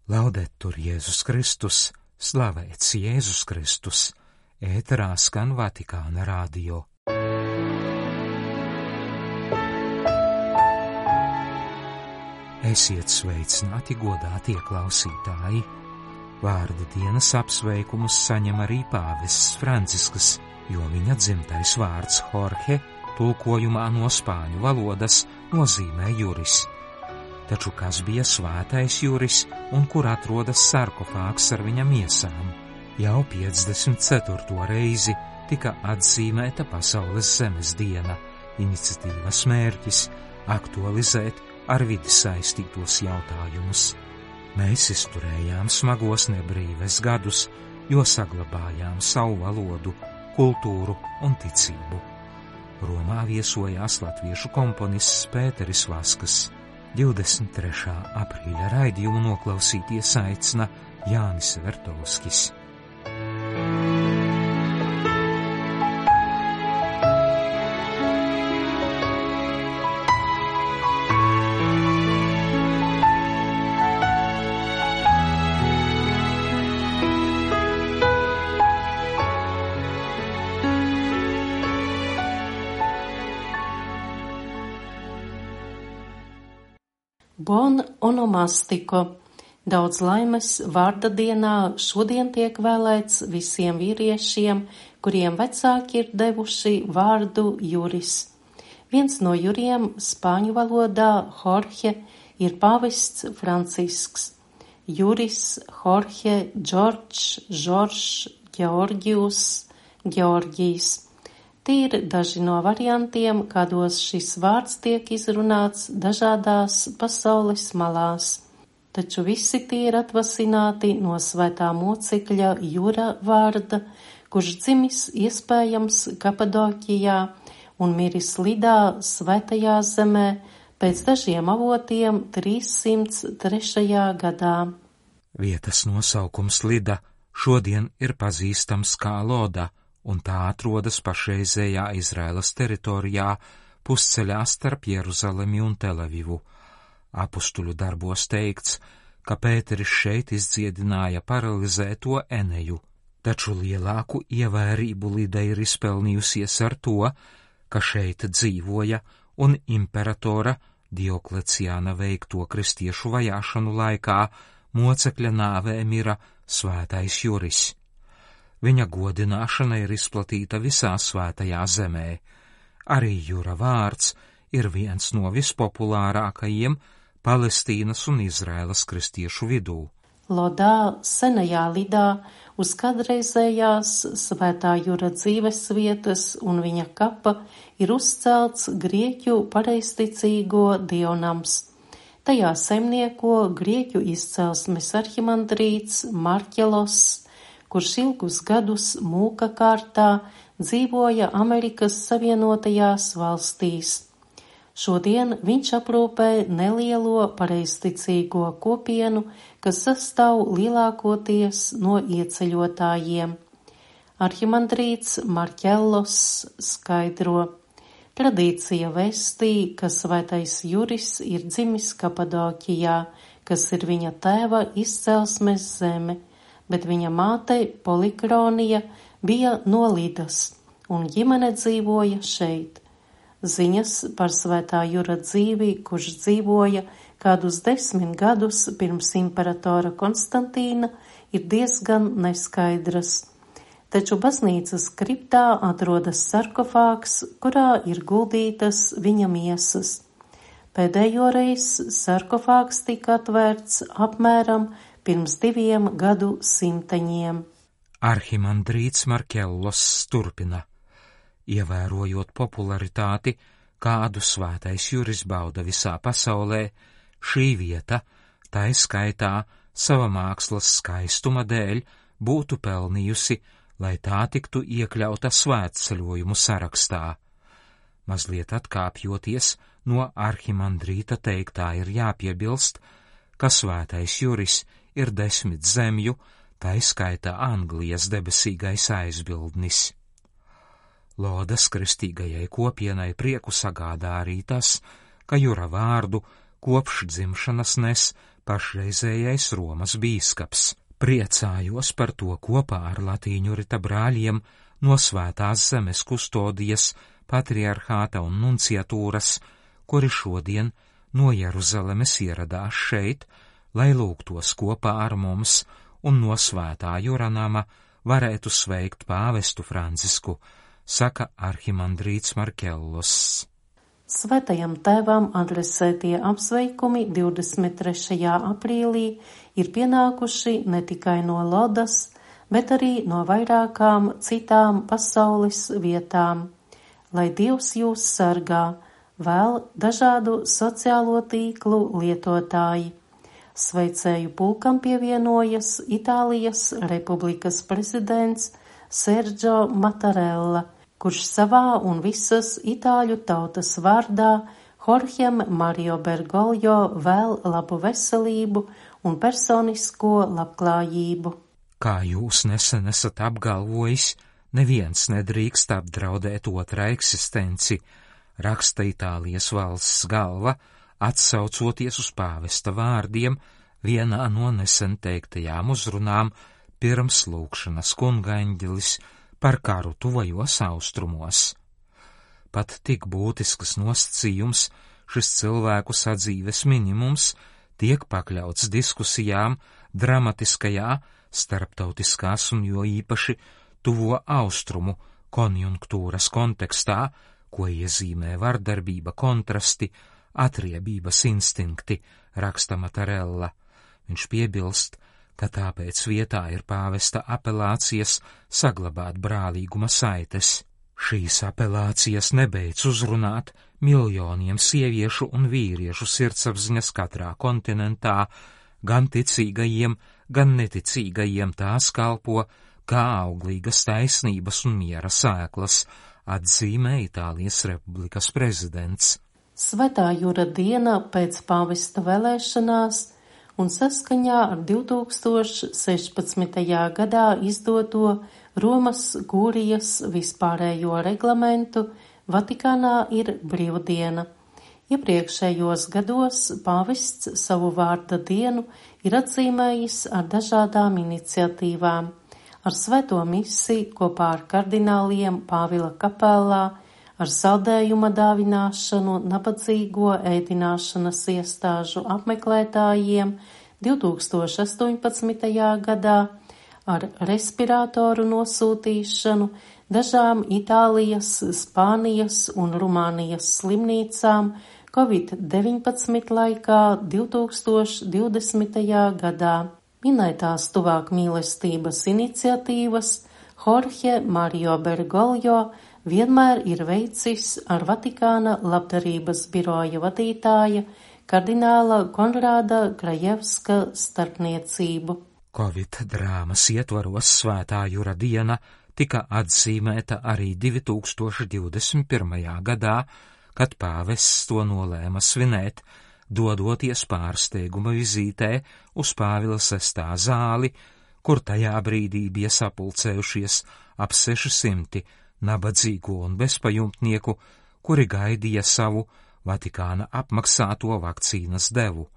Laudetur Jēzus Kristus, slavēts Jēzus Kristus, ēterā skan Vatikāna radio. Esiet sveicināti, godātie klausītāji! Vārda dienas apsveikumus saņem arī pāvests Francisks, jo viņa dzimtais vārds Jorge tulkojumā no spāņu valodas nozīmē juris. Taču kas bija svētais juris un kur atrodas sarkofāgs ar viņa miesām? Jau 54. reizi tika atzīmēta Pasaules zemes diena, iniciatīvas mērķis aktualizēt ar vidi saistītos jautājumus. Mēs izturējām smagos nebrīves gadus, jo saglabājām savu valodu, kultūru un ticību. Romā viesojās latviešu komponists Pēteris Vaskas. 23. aprīļa raidījumu noklausīties aicina Jānis Vertovskis. Bon onomastiko. Daudz laimes vārda dienā šodien tiek vēlēts visiem vīriešiem, kuriem vecāki ir devuši vārdu juris. Viens no juriem spāņu valodā Jorge ir pāvests Francisks. Juris Jorge, George, Georgius, Georgijs. Tie ir daži no variantiem, kādos šis vārds tiek izrunāts dažādās pasaules malās. Taču visi tie ir atvasināti no svētā mocekļa Jura vārda, kurš dzimis iespējams Kapadokijā un miris Lidā svētajā zemē pēc dažiem avotiem 303. gadā. Vietas nosaukums Lida šodien ir pazīstams kā Loda, un tā atrodas pašreizējā Izraēlas teritorijā pusceļā starp Jeruzalemi un Telavivu. Apustuļu darbos teikts, ka Pēteris šeit izdziedināja paralizēto Eneju, taču lielāku ievērību Lida ir izpelnījusies ar to, ka šeit dzīvoja un imperatora Diokleciāna veikto kristiešu vajāšanu laikā mocekļa nāvē mira svētais juris. Viņa godināšana ir izplatīta visā svētajā zemē. Arī Jura vārds ir viens no vispopulārākajiem Palestīnas un Izraēlas kristiešu vidū. Lodā, senajā Lidā, uz kādreizējās svētā Jura dzīves vietas un viņa kapa ir uzcelts grieķu pareizticīgo dievnams. Tajā saimnieko grieķu izcelsmes arhimandrīts Marķelos, kurš ilgus gadus mūka kārtā dzīvoja Amerikas Savienotajās valstīs. Šodien viņš aprūpē nelielo pareizticīgo kopienu, kas sastāv lielākoties no ieceļotājiem. Arhimandrīts Marķellos skaidro. Tradīcija vēstī, ka svētais juris ir dzimis Kapadokijā, kas ir viņa tēva izcelsmes zeme, bet viņa māte Polikronija bija no Lidas, un ģimene dzīvoja šeit. Ziņas par svētā Jura dzīvi, kurš dzīvoja kādus 10 gadus pirms imperatora Konstantīna, ir diezgan neskaidras. Taču baznīcas kriptā atrodas sarkofāgs, kurā ir guldītas viņa miesas. Pēdējo reizi sarkofāgs tika atvērts apmēram pirms 2 gadsimtiem. Arhimandrīts Marķellos turpina. Ievērojot popularitāti, kādu svētais juris bauda visā pasaulē, šī vieta, tā skaitā sava mākslas skaistuma dēļ, būtu pelnījusi, lai tā tiktu iekļauta svētceļojumu sarakstā. Mazliet atkāpjoties no arhimandrīta teiktā, ir jāpiebilst, ka svētais juris ir 10 zemju, tā skaitā Anglijas debesīgais aizbildnis. Lodas kristīgajai kopienai prieku sagādā arī tas, ka Jura vārdu kopš dzimšanas nes pašreizējais Romas bīskaps. Priecājos par to kopā ar latīņu rita brāļiem no Svētās zemes kustodijas, patriarhāta un nunciatūras, kuri šodien no Jeruzalemes ieradās šeit, lai lūgtos kopā ar mums un no Svētā Juranama varētu sveikt pāvestu Francisku, saka arhimandrīts Markellos. Svētajam tēvam adresētie apsveikumi 23. aprīlī ir pienākuši ne tikai no Lodas, bet arī no vairākām citām pasaules vietām. Lai Dievs jūs sargā, vēl dažādu sociālo tīklu lietotāji. Sveicēju pulkam pievienojas Itālijas Republikas prezidents Sergio Mattarella, kurš savā un visas itāļu tautas vārdā Jorgem Mario Bergoglio vēl labu veselību un personisko labklājību. Kā jūs nesen esat apgalvojis, neviens nedrīkst apdraudēt otra eksistenci, raksta Itālijas valsts galva, atsaucoties uz pāvesta vārdiem vienā no nesen teiktajām uzrunām pirms lūgšanas kungaeņģelis par karu tuvajos austrumos. Pat tik būtisks nosacījums, šis cilvēku sadzīves minimums, tiek pakļauts diskusijām dramatiskajā, starptautiskās un jo īpaši tuvo austrumu konjunktūras kontekstā, ko iezīmē vardarbība, kontrasti, atriebības instinkti, raksta Mattarella. Viņš piebilst, ka tāpēc vietā ir pāvesta apelācijas saglabāt brālīguma saites. Šīs apelācijas nebeidz uzrunāt miljoniem sieviešu un vīriešu sirdsapziņas katrā kontinentā, gan ticīgajiem, gan neticīgajiem tās kalpo kā auglīgas taisnības un miera sēklas, atzīmē Itālijas Republikas prezidents. Svētā Jura diena pēc pāvesta vēlēšanās un saskaņā ar 2016. gadā izdoto Romas kūrijas vispārējo reglamentu Vatikānā ir brīvdiena. Iepriekšējos gados pāvests savu vārda dienu ir atzīmējis ar dažādām iniciatīvām, ar svēto misi kopā ar kardināliem Pāvila kapelā, ar saldējuma dāvināšanu nabadzīgo ēdināšanas iestāžu apmeklētājiem 2018. gadā, ar respiratoru nosūtīšanu dažām Itālijas, Spānijas un Rumānijas slimnīcām Covid-19 laikā 2020. gadā. Minētās tuvāk mīlestības iniciatīvas Jorge Mario Bergoglio vienmēr ir veicis ar Vatikāna labdarības biroja vadītāja kardināla Konrāda Grajevska starpniecību. Covid drāmas ietvaros Svētā Jura diena tika atzīmēta arī 2021. gadā, kad pāvests to nolēma svinēt, dodoties pārsteiguma vizītē uz Pāvila VI zāli, kur tajā brīdī bija sapulcējušies ap 600 nabadzīgo un bezpajumtnieku, kuri gaidīja savu Vatikāna apmaksāto vakcīnas devu.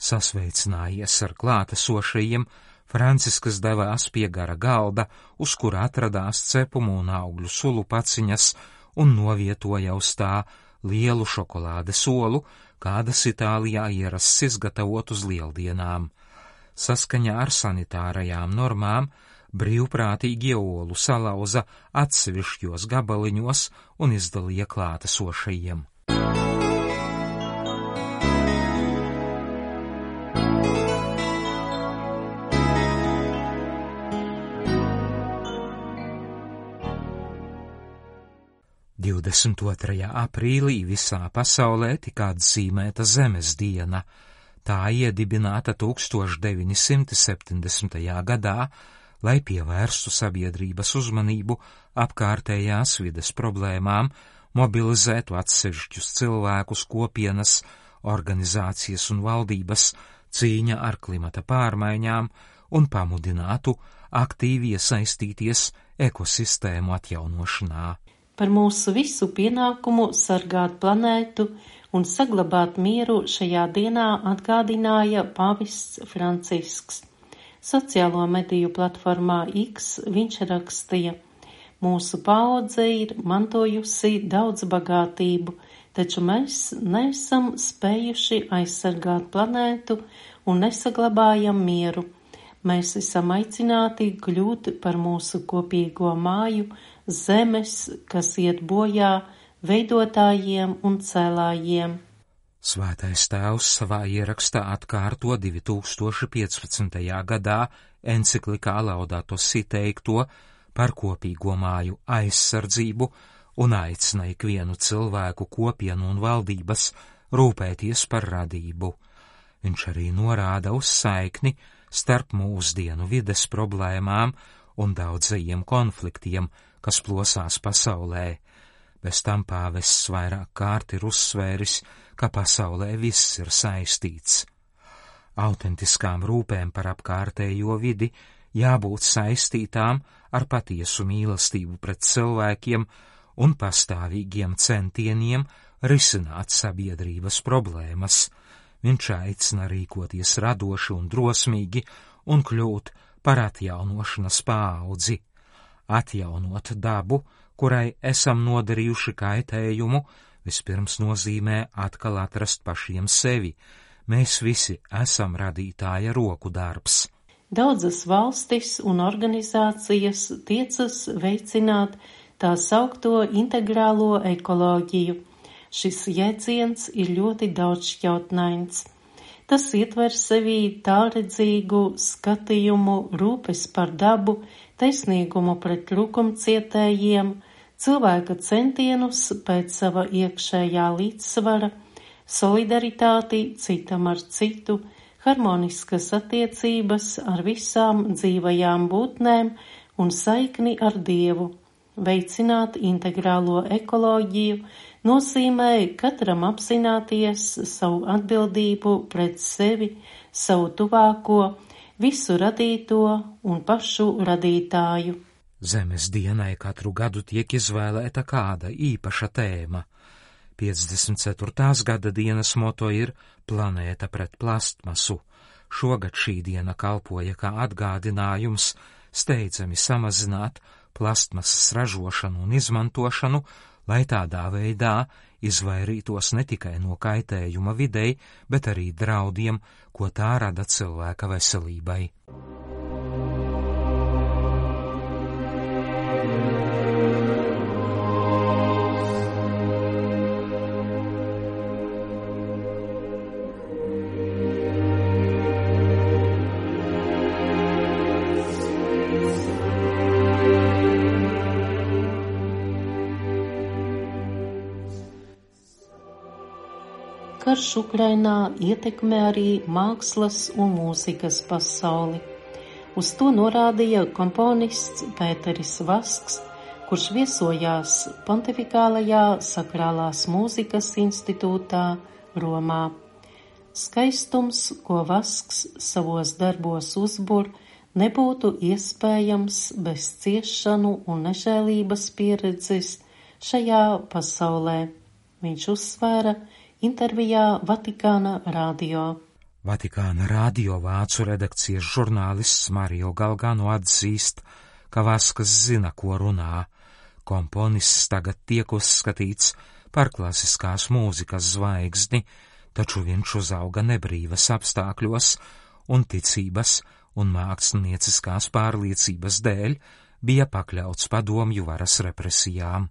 Sasveicinājies ar klātesošajiem, Franciskas devās pie gara galda, uz kura atradās cepumu un augļu sulu paciņas, un novietoja uz tā lielu šokolādes olu, kādas Itālijā ierasts izgatavot uz lieldienām. Saskaņā ar sanitārajām normām brīvprātīgie olu salauza atsevišķos gabaliņos un izdalīja klātesošajiem. – 22. aprīlī visā pasaulē tika atzīmēta Zemes diena. Tā iedibināta 1970. gadā, lai pievērstu sabiedrības uzmanību apkārtējās vides problēmām, mobilizētu atsevišķus cilvēkus, kopienas, organizācijas un valdības cīņa ar klimata pārmaiņām un pamudinātu aktīvi iesaistīties ekosistēmu atjaunošanā. Par mūsu visu pienākumu sargāt planētu un saglabāt mieru šajā dienā atgādināja pāvests Francisks. Sociālo mediju platformā X viņš rakstīja: mūsu paudze ir mantojusi daudz bagātību, taču mēs neesam spējuši aizsargāt planētu un nesaglabājam mieru. Mēs esam aicināti kļūt par mūsu kopīgo māju, zemes, kas iet bojā, veidotājiem un cēlājiem. Svētais Tēvs savā ierakstā atkārto 2015. gadā enciklikā Laudato Si teikto par kopīgo māju aizsardzību un aicina ikvienu cilvēku, kopienu un valdības rūpēties par radību. Viņš arī norāda uz saikni starp mūsdienu vides problēmām un daudzajiem konfliktiem, kas plosās pasaulē. Bez tam pāvests vairāk kārt ir uzsvēris, ka pasaulē viss ir saistīts. Autentiskām rūpēm par apkārtējo vidi jābūt saistītām ar patiesu mīlestību pret cilvēkiem un pastāvīgiem centieniem risināt sabiedrības problēmas. Viņš aicina rīkoties radoši un drosmīgi un kļūt par atjaunošanas paudzi. Atjaunot dabu, kurai esam nodarījuši kaitējumu, vispirms nozīmē atkal atrast pašiem sevi. Mēs visi esam radītāja roku darbs. Daudzas valstis un organizācijas tiecas veicināt tā saukto integrālo ekoloģiju. Šis jēdziens ir ļoti daudzšķautnains. Tas ietver sevī tālredzīgu skatījumu, rūpes par dabu, taisnīgumu pret trūkumcietējiem, cilvēka centienus pēc sava iekšējā līdzsvara, solidaritāti citam ar citu, harmoniskas attiecības ar visām dzīvajām būtnēm un saikni ar Dievu. Veicināt integrālo ekoloģiju nozīmē katram apzināties savu atbildību pret sevi, savu tuvāko, visu radīto un pašu radītāju. Zemes dienai katru gadu tiek izvēlēta kāda īpaša tēma. 54. gada dienas moto ir Planēta pret plastmasu. Šogad šī diena kalpoja kā atgādinājums steidzami samazināt plastmasas ražošanu un izmantošanu, lai tādā veidā izvairītos ne tikai no kaitējuma videi, bet arī draudiem, ko tā rada cilvēka veselībai. Karš Ukrainā ietekmē arī mākslas un mūzikas pasauli. Uz to norādīja komponists Pēteris Vasks, kurš viesojās Pontifikālajā sakrālās mūzikas institūtā Romā. Skaistums, ko Vasks savos darbos uzbur, nebūtu iespējams bez ciešanu un nežēlības pieredzes šajā pasaulē. Viņš uzsvēra intervijā Vatikāna radio. Vatikāna radio vācu redakcijas žurnālists Mario Galgano atzīst, ka Vaskas zina, ko runā. Komponists tagad tiek uzskatīts par klasiskās mūzikas zvaigzni, taču viņš uzauga nebrīvas apstākļos un ticības un mākslinieciskās pārliecības dēļ bija pakļauts padomju varas represijām.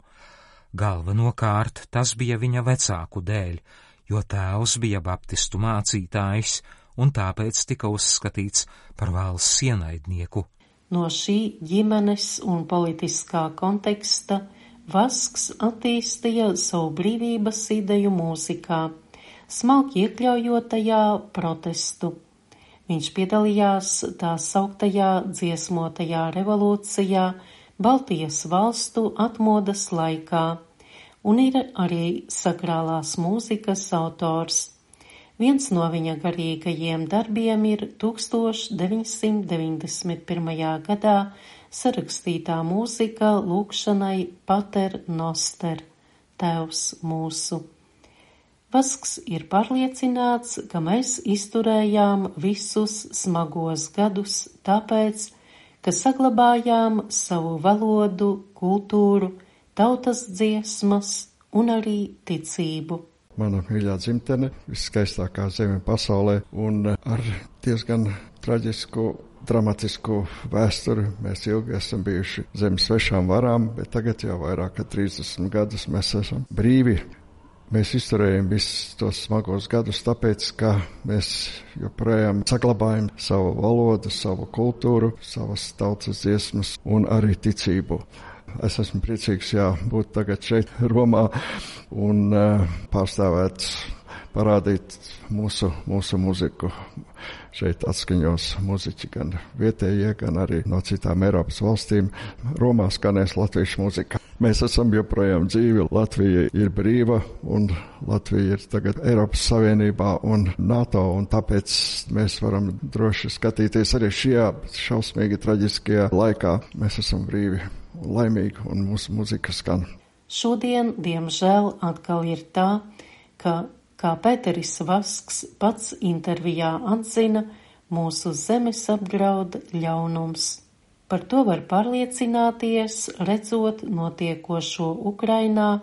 Galvenokārt tas bija viņa vecāku dēļ, jo tēvs bija baptistu mācītājs un tāpēc tika uzskatīts par valsts ienaidnieku. No šī ģimenes un politiskā konteksta Vasks attīstīja savu brīvības ideju mūzikā, smalki iekļaujot tajā protestu. Viņš piedalījās tā sauktajā dziesmotajā revolūcijā Baltijas valstu atmodas laikā un ir arī sakrālās mūzikas autors. Viens no viņa garīgajiem darbiem ir 1991. gadā sarakstītā mūzika lūgšanai Pater Noster, Tēvs mūsu. Vasks ir pārliecināts, ka mēs izturējām visus smagos gadus tāpēc, ka saglabājām savu valodu, kultūru, tautas dziesmas un arī ticību. Mana mīļā dzimtene, viskaistākā zeme pasaulē, un ar diezgan traģisku, dramatisku vēsturi. Mēs ilgi esam bijuši zem svešām varām, bet tagad jau vairāk kā 30 gadus mēs esam brīvi. Mēs izturējam visus tos smagos gadus, tāpēc, ka mēs joprojām saglabājam savu valodu, savu kultūru, savas tautas dziesmas un arī ticību. Es esmu priecīgs, būt tagad šeit Romā un pārstāvēt, parādīt mūsu mūziku. Šeit atskaņos muziķi gan vietējie, gan arī no citām Eiropas valstīm. Romā skanēs latviešu muzika. Mēs esam joprojām dzīvi, Latvija ir brīva un Latvija ir tagad Eiropas Savienībā un NATO, un tāpēc mēs varam droši skatīties arī šajā šausmīgi traģiskajā laikā. Mēs esam brīvi un laimīgi un mūsu muzika skan. Šodien, diemžēl, atkal ir tā, ka kā Pēteris Vasks pats intervijā atzina, mūsu zemes apdraud ļaunums. Par to var pārliecināties, redzot notiekošo Ukrainā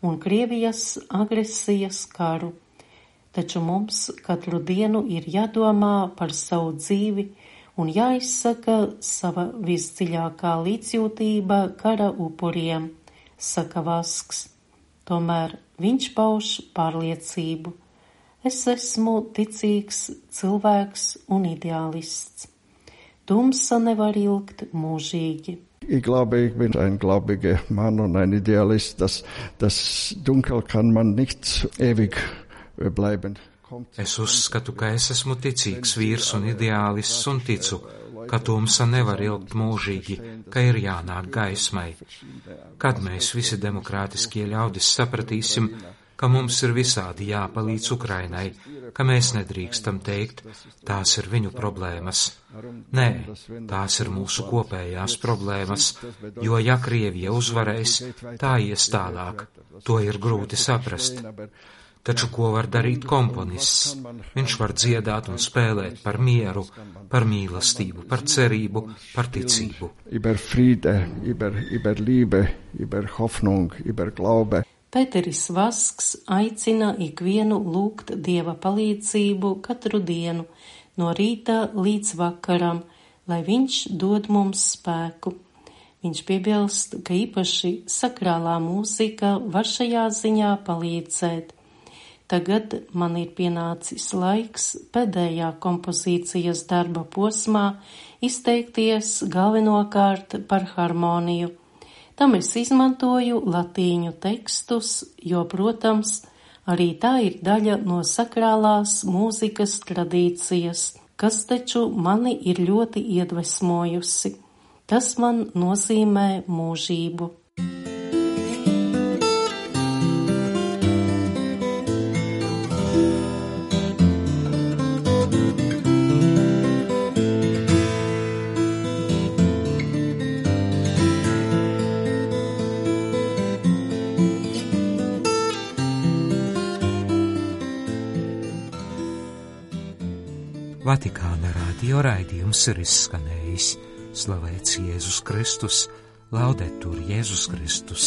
un Krievijas agresijas karu. Taču mums katru dienu ir jādomā par savu dzīvi un jāizsaka sava visdziļākā līdzjūtība kara upuriem, saka Vasks. Tomēr viņš pauž pārliecību. Es esmu ticīgs cilvēks un ideālists. Tumsa nevar ilgt mūžīgi. Ich glaube, ich bin ein gläubiger Mann und ein Idealist. Das Dunkel kann man nicht ewig bleiben. Es uzskatu, ka es esmu ticīgs vīrs un ideālists un ticu, ka tumsa nevar ilgt mūžīgi, ka ir jānāk gaismai. Kad mēs visi demokrātiskie ļaudis sapratīsim, ka mums ir visādi jāpalīdz Ukrainai, ka mēs nedrīkstam teikt, tās ir viņu problēmas. Nē, tās ir mūsu kopējās problēmas, jo ja Krievija uzvarēs, tā ies tālāk. To ir grūti saprast. Taču ko var darīt komponists? Viņš var dziedāt un spēlēt par mieru, par mīlestību, par cerību, par ticību. Über Friede, über Liebe, über Hoffnung, über Glaube. Pēteris Vasks aicina ikvienu lūgt Dieva palīdzību katru dienu, no rīta līdz vakaram, lai viņš dod mums spēku. Viņš piebilst, ka īpaši sakrālā mūzika var šajā ziņā palīdzēt. Tagad man ir pienācis laiks pēdējā kompozīcijas darba posmā izteikties galvenokārt par harmoniju. Tam es izmantoju latīņu tekstus, jo, protams, arī tā ir daļa no sakrālās mūzikas tradīcijas, kas taču mani ir ļoti iedvesmojusi. Tas man nozīmē mūžību. Vatikāna radio raidījums ir izskanējis. Slavēts Jēzus Kristus, laudetur Jēzus Kristus.